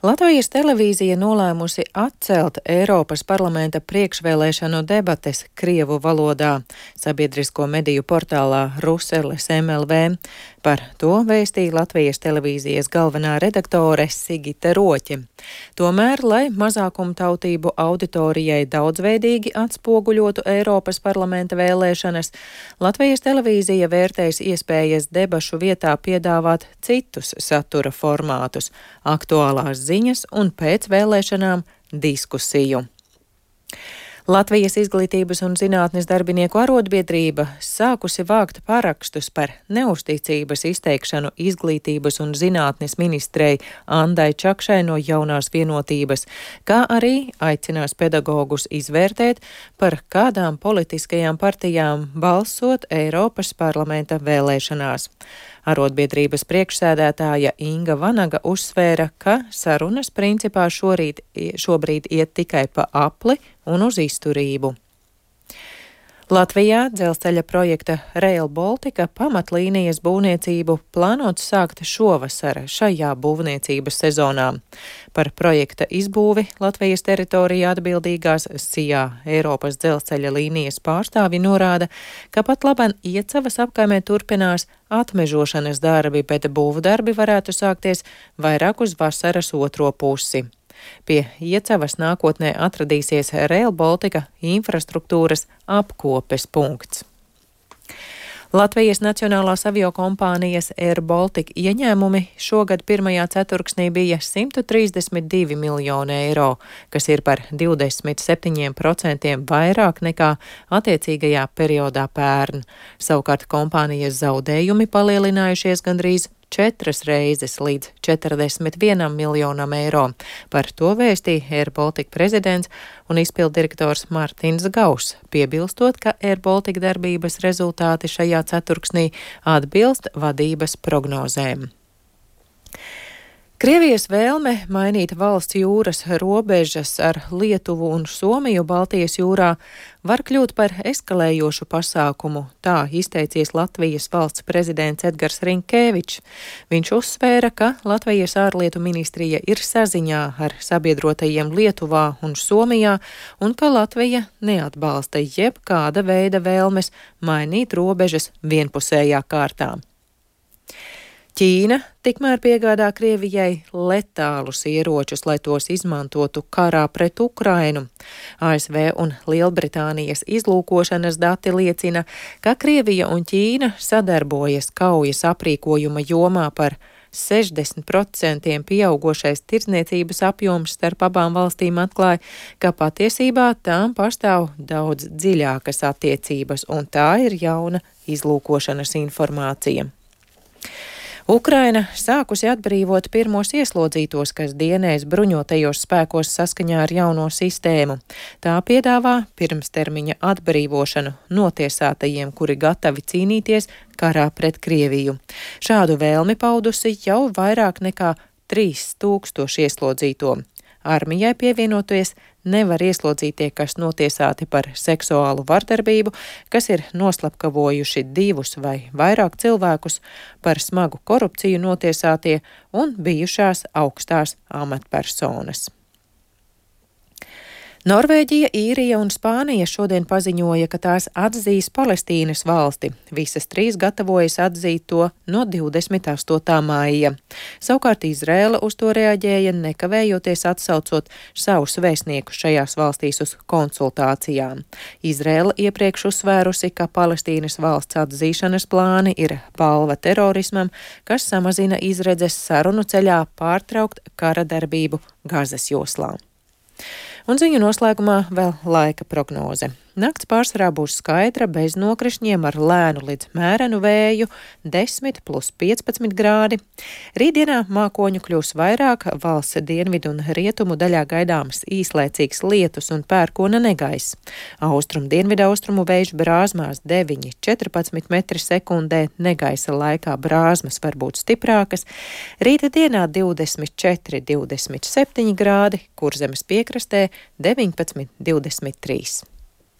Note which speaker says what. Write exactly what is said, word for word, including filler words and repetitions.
Speaker 1: Latvijas televīzija nolēmusi atcelt Eiropas parlamenta priekšvēlēšanu debates krievu valodā sabiedrisko mediju portālā Ruseles M L V. Par to vēstīja Latvijas televīzijas galvenā redaktore Sigita Roķe. Tomēr, lai mazākumtautību auditorijai daudzveidīgi atspoguļotu Eiropas parlamenta vēlēšanas, Latvijas televīzija vērtēs iespējas debašu vietā piedāvāt citus satura formātus - aktuālās ziņas un pēc vēlēšanām diskusiju. Latvijas izglītības un zinātnes darbinieku arotbiedrība sākusi vākt parakstus par neusticības izteikšanu izglītības un zinātnes ministrei Andai Čakšai no Jaunās vienotības, kā arī aicinās pedagogus izvērtēt, par kādām politiskajām partijām balsot Eiropas parlamenta vēlēšanās. Arotbiedrības priekšsēdētāja Inga Vanaga uzsvēra, ka sarunas principā šorīt, šobrīd iet tikai pa apli un uz izturību. Latvijā dzelzceļa projekta Rail Baltica pamatlīnijas būvniecību plānots sākt šovasar šajā būvniecības sezonā. Par projekta izbūvi Latvijas teritorijā atbildīgās S I A Eiropas dzelzceļa līnijas pārstāvi norāda, ka pat laban Iecavas apkaimē turpinās atmežošanas darbi, bet būvdarbi varētu sākties vairāk uz vasaras otro pusi. Pie Iecavas nākotnē atradīsies Rail Baltica infrastruktūras apkopes punkts. Latvijas Nacionālās aviokompānijas Air Baltica ieņēmumi šogad pirmajā ceturksnī bija simt trīsdesmit divi miljoni eiro, kas ir par divdesmit septiņiem procentiem vairāk nekā attiecīgajā periodā pērn. Savukārt kompānijas zaudējumi palielinājušies gandrīz četras reizes līdz četrdesmit vienam miljonam eiro. Par to vēstīja Air Baltica prezidents un izpilddirektors Mārtiņš Gauss, piebilstot, ka Air Baltica darbības rezultāti šajā ceturksnī atbilst vadības prognozēm. Krievijas vēlme mainīt valsts jūras robežas ar Lietuvu un Somiju Baltijas jūrā var kļūt par eskalējošu pasākumu, tā izteicies Latvijas valsts prezidents Edgars Rinkēvičs. Viņš uzsvēra, ka Latvijas ārlietu ministrija ir saziņā ar sabiedrotajiem Lietuvā un Somijā un ka Latvija neatbalsta jebkāda veida vēlmes mainīt robežas vienpusējā kārtā. Ķīna tikmēr piegādā Krievijai letālus ieročus, lai tos izmantotu karā pret Ukrainu. A S V un Lielbritānijas izlūkošanas dati liecina, ka Krievija un Ķīna sadarbojas kaujas aprīkojuma jomā. Par sešdesmit procentiem pieaugošais tirdzniecības apjoms starp abām valstīm atklāja, ka patiesībā tām pastāv daudz dziļākas attiecības, un tā ir jauna izlūkošanas informācija. Ukraina sākusi atbrīvot pirmos ieslodzītos, kas dienēs bruņotajos spēkos saskaņā ar jauno sistēmu. Tā piedāvā pirmstermiņa atbrīvošanu notiesātajiem, kuri gatavi cīnīties karā pret Krieviju. Šādu vēlmi paudusi jau vairāk nekā trīs tūkstoši ieslodzīto. Armijai pievienoties nevar ieslodzītie, kas notiesāti par seksuālu vardarbību, kas ir noslapkavojuši divus vai vairāk cilvēkus, par smagu korupciju notiesātie un bijušās augstās amatpersonas. Norvēģija, Īrija un Spānija šodien paziņoja, ka tās atzīs Palestīnas valsti. Visas trīs gatavojas atzīt to no divdesmit astotā maija. Savukārt Izraēla uz to reaģēja, nekavējoties atsaucot savus vēstniekus šajās valstīs uz konsultācijām. Izraēla iepriekš uzsvērusi, ka Palestīnas valsts atzīšanas plāni ir balva terorismam, kas samazina izredzes sarunu ceļā pārtraukt kara darbību Gazas joslā. Un ziņu noslēgumā vēl laika prognoze. Nakts pārsvarā būs skaidra, bez nokrišņiem ar lēnu līdz mērenu vēju, desmit plus piecpadsmit grādi. Rītdienā mākoņu kļūs vairāk, valsts dienvidu un rietumu daļā gaidāms īslaicīgs lietus un pērkona negaiss. Austrum dienvidu austrumu vējš brāzmās deviņi četrpadsmit metri sekundē, negaisa laikā brāzmas var būt stiprākas. Rīta dienā divdesmit četri, divdesmit septiņi grādi, Kurzemes piekrastē deviņpadsmit, divdesmit trīs.